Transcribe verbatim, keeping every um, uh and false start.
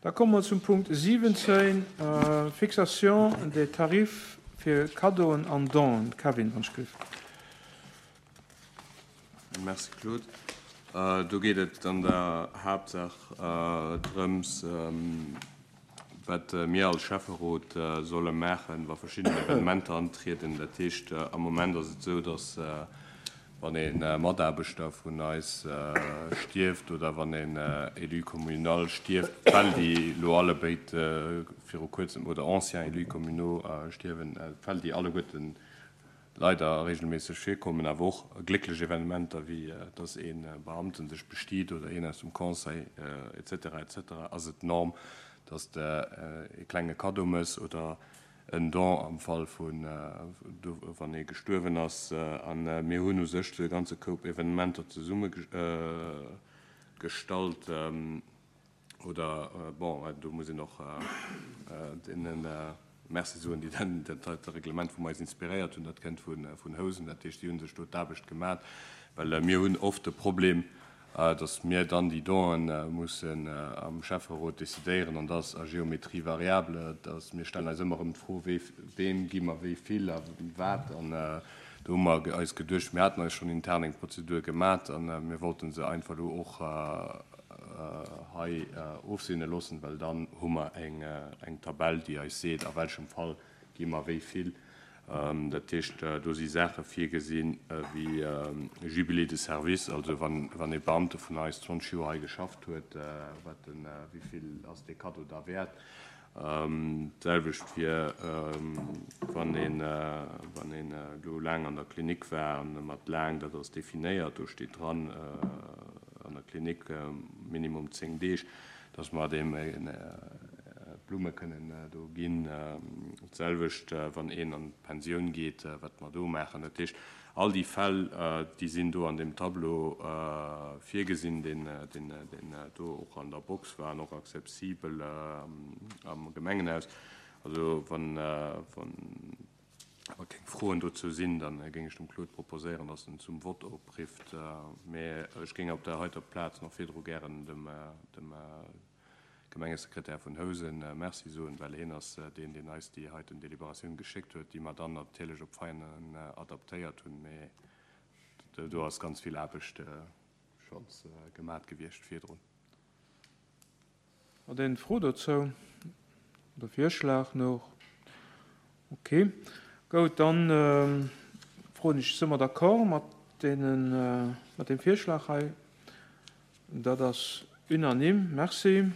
Da komme mer zum Punkt siwwenzéin, Fixation des tarifs fir Kaddoen an Donen. Kevin, wann ech giff. Merci Claude. Do geet et an der Haaptsaach drëms, wat mir als Schäfferot solle maachen, wa verschidden Evenementer antrieden. Dat heescht, am Moment ass et esou, dass wann e Mataarbechter vun eis stierft oder wann en Élu communal stierft, Fäll, déi elo allebéid viru kuerzem, oder anciens élus communaux stierwen, Fäll, déi alleguerten leider regelméisseg virkommen, awer och glécklech Evenementer, wéi dass ee Beamten sech bestiet oder een aus dem Conseil et cetera et cetera, ass et d'Norm, dass de e klenge Kaddo mëss oder en Don am Fall vun, wann ee gestuerwen ass. A mir hunn u sech de ganze Koup Evenementer zesummegestallt oder, bon, do muss een och deene Merci soen, déi dat heite Reglement vum eis inspiréiert hunn. Dat kënnt vun Housen, dat heescht, déi hu sech do d'Aarbecht gemat, well mir hunn oft de Problem, dass mir dann déi Donen mussen am Schäfferot decidéieren, an dat ass à géométrie variable, dass mir stellen eis ëmmer erëm d'Fro, wee, weem gi mer wéi vill a wat. An do hu mer eis geduecht, mir haten eis schonn intern eng Prozedur gemat a mir wollte se einfach elo och hei ofseene loossen, well dann hu mer eng Tabell, déi eis seet, a welchem Fall gi mer wéi vill. Dat heescht, do si Saache virgesinn wéi Jubilé de service, also wann e Beamte vun eis zwanzeg Joer hei geschafft huet, wat en, wéi vill ass dee Kaddo da wäert. D'selwecht fir wann een, wann een elo laang an der Klinik war, an mat laang, dat ass definéiert, do steet dran, an der Klinik minimum zéng Deeg, dass mer deem Blumme kënnen do ginn. D'selwecht wann een an d'Pensioun geet, wat mer do maachen. Dat heescht, all déi Fäll, déi sinn do an deem Tableau virgesinn, deen do och an der Box war an och accessibel am Gemengenhaus. Also wann keng Froen dozou sinn, da géing ech dem Claude proposéieren, dass en zum Vott oprifft. Mä ech géing op der heiter Plaz nach virdru gären dem Gemengesekretär vun Housen Merci soen, well hien ass deen, deen eis déi heiten Deliberatioun geschéckt huet, déi mer dann natierlech op Veianen adaptéiert hunn. Mä do ass ganz vill Aarbecht schonns gemat gewiescht virdrun. Hat een Fro dozou oder Virschlag nach? Ok, goud, dann froen ech, si mer d'accord mat deenen, mat deem Virschlag hei? Dat ass unanime. Merci.